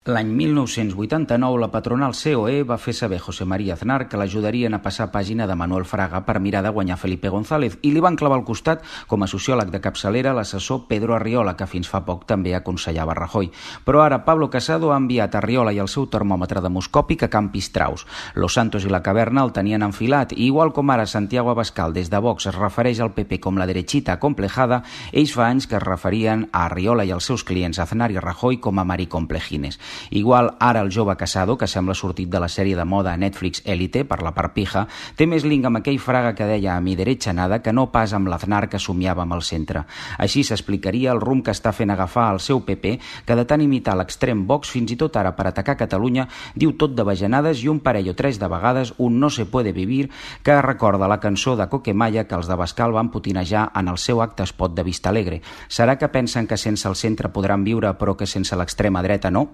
L'any 1989 la patronal COE va fer saber a José María Aznar que l'ajudarien a passar pàgina de Manuel Fraga per mirar de guanyar Felipe González i li van clavar al costat com a sociòleg de capçalera l'assessor Pedro Arriola, que fins fa poc també aconsellava Rajoy. Però ara Pablo Casado ha enviat a Arriola i el seu termòmetre demoscòpic a Can Pistraus. Los Santos i la Caverna el tenien enfilat i igual com ara Santiago Abascal des de Vox es refereix al PP com la derechita acomplejada, ells fa anys que es referien a Arriola i als seus clients Aznar i Rajoy com a maricomplejines. Igual ara el jove Casado, que sembla sortit de la sèrie de moda a Netflix Élite per la part pija, té més link amb aquell Fraga que deia a mi derecha nada que no pas amb l'Aznar que somiava amb el centre. Així s'explicaria el rumb que està fent agafar al seu PP, que de tant imitar l'extrem Vox fins i tot ara per atacar Catalunya diu tot de bajanades i un parell o tres de vegades un no se puede vivir que recorda la cançó de Coquemaya que els d'Abascal van putinejar en el seu acte spot de Vista Alegre. Serà que pensen que sense el centre podran viure però que sense l'extrema dreta no?